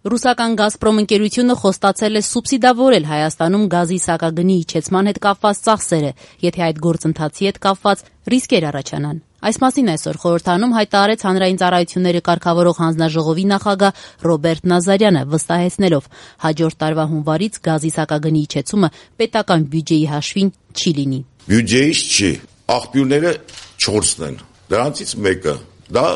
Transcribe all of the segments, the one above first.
Ռուսական «Գազպրոմ» ընկերությունը խոստացել է սուբսիդավորել Հայաստանում գազի սակագնի իջեցման հետ կապված ծախսերը, եթե այդ գործընթացի հետ կապված ռիսկեր առաջանան։ Այս մասին այսօր խորհրդարանում հայտարարեց Հանրային ծառայությունները կարգավորող հանձնաժողովի նախագահ Ռոբերտ Նազարյանը, վստահեցնելով հաջորդ տարվա հունվարից գազի սակագնի իջեցումը պետական բյուջեի հաշվին չի լինի։ Բյուջեից չի, աղբյուրները 4-ն են, դրանցից մեկը դա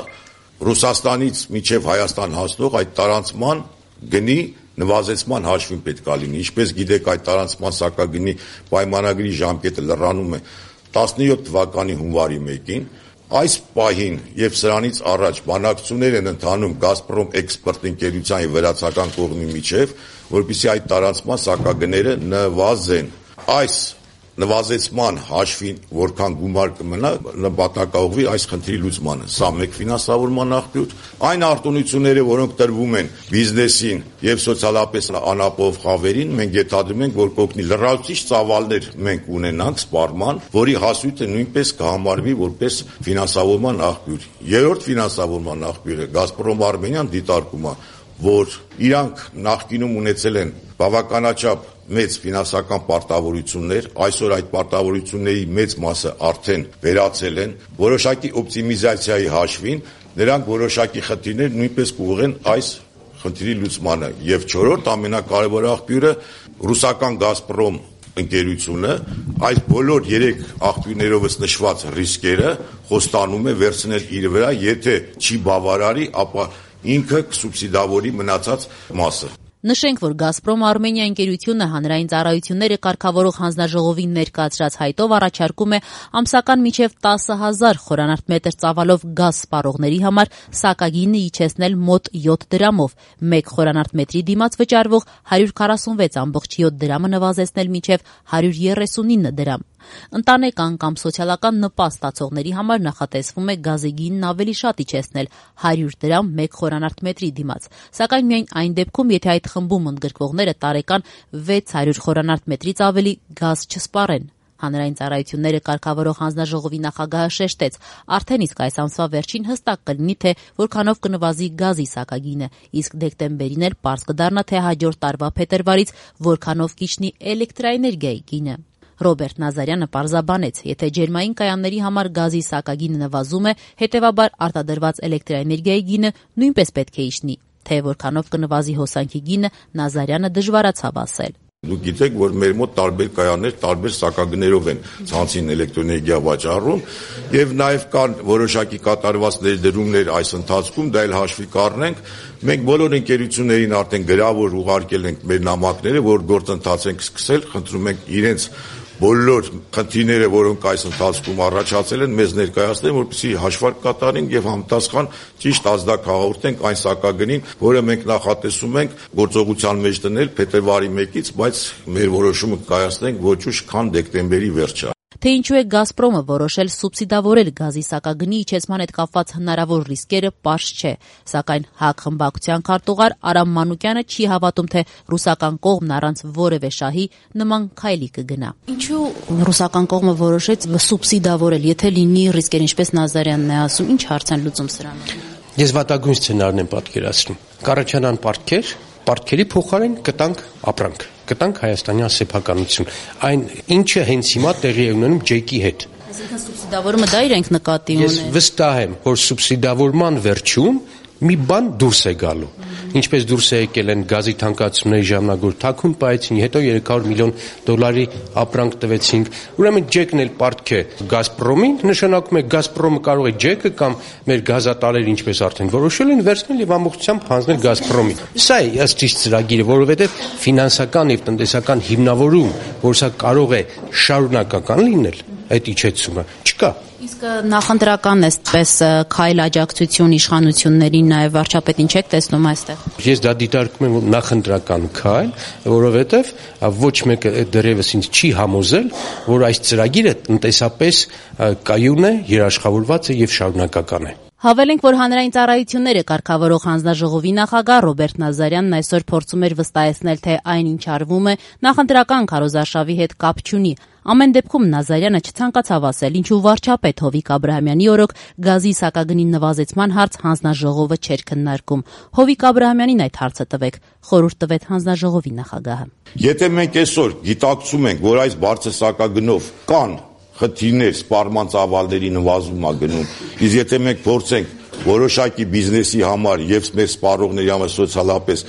Ռուսաստանից մինչև Հայաստան հասնող այդ տարանցման գնի նվազեցման հաշվին պետք է լինի։ Ինչպես գիտեք, այդ տարանցման սակագնի պայմանագրի ժամկետը լրանում է 17 թվականի հունվարի 1-ին։ Այս պահին եւ սրանից առաջ բանակցություններ են ընթանում «Գազպրոմ» էքսպորտ ընկերության եւ վրացական կողմի միջև, որպեսզի այդ տարանցման սակագները նվազեն։ Այս նվազեցման հաշվին որքան գումար կմնա, նպատակաուղղվի այս խնդրի լուծմանը։ Սա մեկ ֆինանսավորման աղբյուր։ Այն արտոնությունները, որոնք տրվում են բիզնեսին եւ սոցիալապես անապահով խավերին, մենք ենթադրում ենք, որ կօգնի լրացուցիչ ծավալներ մենք ունենանք սպառման, որի հասույթը նույնպես կհամարվի որպես ֆինանսավորման աղբյուր։ Երրորդ ֆինանսավորման աղբյուրը «Գազպրոմ Արմենիան» դիտարկում է, որ իրանք նախկինում ունեցել են բավականաչափ մեծ ֆինանսական պարտավորություններ, այսօր այդ պարտավորությունների մեծ մասը արդեն վերացել են, որոշակի օպտիմիզացիայի հաշվին նրանք որոշակի խնդիրներ նույնպես կուղղեն այս խնդրի լուծմանը։ Եվ չորրորդ ամենակարևոր աղբյուրը ռուսական «Գազպրոմ» ընկերությունը այս բոլոր 3 աղբյուրներովս նշված ռիսկերը խոստանում է վերցնել իր վրա, եթե չի բավարարի, ապա ինքը կսուբսիդավորի մնացած մասը։ Նշենք, որ «Գազպրոմ Արմենիա» ընկերությունը Հանրային ծառայությունները կարգավորող հանձնաժողովին ներկայացրած հայտով առաջարկում է ամսական մինչև 10,000 խորանարդ ծավալով գազ սպառողների համար սակագինը իջեցնել մոտ 7 դրամով, 1 խորանարդ մետրի դիմաց վճարվող 146.7 դրամը նվազեցնել մինչև 139 դրամ։ Ընտանեկան կամ սոցիալական նպաստ ստացողների համար նախատեսվում է գազի գինն ավելի շատ իջեցնել 100 դրամ 1 խորանարդ մետրի դիմաց, սակայն միայն այն դեպքում, եթե այդ խմբում ընդգրկվողները տարեկան 600 խորանարդ մետրից ավելի գազ չսպառեն։ Հանրային ծառայությունները կարգավորող հանձնաժողովի նախագահը շեշտեց, արդեն իսկ այս ամսվա վերջին հստակ կլինի, թե որքանով կնվազի գազի սակագինը, իսկ դեկտեմբերին էլ պարզ կդառնա, թե հաջորդ տարվա փետրվարից որքանով կիջնի էլեկտրաէներգիայի գինը։ Ռոբերտ Նազարյանը պարզաբանեց, եթե ջերմային կայանների համար գազի սակագինը նվազում է, հետևաբար արտադրված էլեկտրաէներգիայի գինը նույնպես պետք է իջնի, թե որքանով կնվազի հոսանքի գինը Նազարյանը դժվարացավ ասել։ Դուք գիտեք, որ մեր մոտ տարբեր կայաններ տարբեր սակագներով են ցանցին էլեկտրոէներգիա վաճառում եւ նաեւ կան որոշակի կատարված ներդրումներ այս ընթացքում, դա էլ հաշվի կառնենք։ Մենք բոլոր ընկերություններին արդեն գրավոր ուղարկել ենք մեր նամակները, որ գործընթաց ենք սկսել, խնդրում ենք իրենց բոլոր խնդիրները, որոնք այս ընթացքում առաջացել են, մեզ ներկայացնեն, որպեսզի հաշվարկ կատարենք եւ համապատասխան ճիշտ ազդակ հաղորդենք այն սակագնին, որը մենք նախատեսում ենք գործողության մեջ դնել փետրվարի 1-ից, բայց մեր որոշումը կայացնենք ոչ ուշ, քան դեկտեմբերի վերջը։ Թե ինչու է «Գազպրոմը» որոշել սուբսիդավորել գազի սակագնի իջեցման հետ կապված հնարավոր ռիսկերը, պարզ չէ, սակայն ՀԱԿ խմբակցության քարտուղար Արամ Մանուկյանը չի հավատում, թե ռուսական կողմն առանց որևէ շահի նման քայլի կգնա։ Ինչու ռուսական կողմը որոշեց սուբսիդավորել, եթե լինի ռիսկեր, ինչպես Նազարյանն է ասում, ինչ հարց են լուծում սրանով։ Ես վատագույն սցենարն եմ պատկերացնում։ Կառաջանան պարտքերի փոխարեն կտանք ապրանք, կտանք հայաստանյան սեփականություն։ Այն ինչը հենց հիմա տեղի է ունենում ջեկի հետ։ Այսինքն սուբսիդավորումը դա իրենք նկատի ունեն։ Ես վստահ եմ, որ սուբսիդավորման վերջում մի բան դուրս է գալու։ Ինչպես դուրս է եկել են գազի թանկացումների ժամանակ, որ թաքուն պահեցին, հետո $300 միլիոն ապրանք տվեցինք։ Ուրեմն ջեկն էլ պարտք է «Գազպրոմին», նշանակում է «Գազպրոմը» կարող է ջեկը կամ մեր գազատարերը, ինչպես արդեն որոշել են, վերցնել եւ ամբողջությամբ հանձնել «Գազպրոմին»։ Սա է ըստ իս ծրագիրը, որովհետեւ ֆինանսական եւ տնտեսական հիմնավորում, որ սա կարող է շարունակական լինել, այդ իջեցումը չկա։ Իսկ նախընտրական էսպես քայլ աջակցություն իշխանություններին նաև վարչապետին չեք տեսնում այստեղ։ Ես դա դիտարկում եմ նախընտրական քայլ, որովհետև ոչ մեկը դեռևս ինձ չի համոզել, որ այս ծրագիրը տնտեսապես կայուն է, երաշխավորված է եւ շարունակական է։ Հավելենք, որ հանրային ծառայությունները կարգավորող հանձնաժողովի նախագահ Ռոբերտ Նազարյանն այսօր փորձում էր վստահեցնել, թե այն, ինչ արվում է, նախընտրական քարոզարշավի հետ կապ չունի։ Ամեն դեպքում Նազարյանը չցանկացավ ասել, ինչու վարչապետ Հովիկ Աբրահամյանի օրոք գազի սակագնի նվազեցման հարց հանձնաժողովը չէր քննարկում։ Հովիկ Աբրահամյանին այդ հարցը տվեք, խորհուրդ տվեց հանձնաժողովի նախագահը։ Եթե մենք այսօր գիտակցում ենք, որ այս բարձր սակագնով կան խնդիրներ, սպառման ծավալների նվազում է գնում, իսկ եթե մենք փորձենք որոշակի բիզնեսի համար եւ մեր սպառողների համար սոցիալապես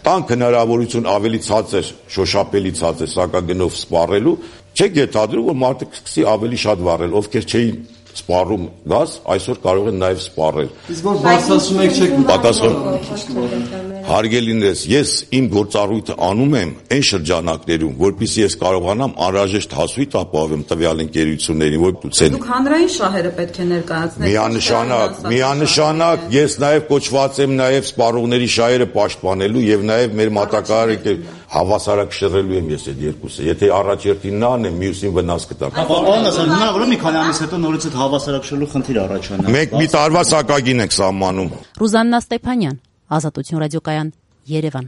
տանք հնարավորություն ավելի ցածր, շոշափելի ցածր սակագնով սպառելու, չեք ենթադրում, որ մարդը սկսի ավելի շատ վառել, ովքեր չէին սպառում գազ, այսօր կարող են նաև սպառել։ Իսկ որ բարձրացնում եք չեք պատասխան։ Հարգելիներս, ես իմ գործառույթը անում եմ այն շրջանակներում, որպեսզի ես կարողանամ անհրաժեշտ հասույթ ապահովեմ տվյալ ընկերություններին, որ ցեն։ Դուք հանրային շահերը պետք է ներկայացնեք։ Միանշանակ ես նաև կոչված եմ նաև սպառողների շահերը պաշտպանելու եւ նաև մեր մատակարարը հավասարակշռելու եմ ես այդ երկուսը։ Եթե առաջերտին նա անեմ, մյուսին վնաս կտա։ Հնարավոր է մի քանի ամիս հետո նորից այդ հավասարակշռելու խնդիր առաջանա։ Մենք մի տարվա սակագին ենք սահմանում։ Ռուզաննա Ստեփանյան, Ազատություն ռադիոկայան, Երևան։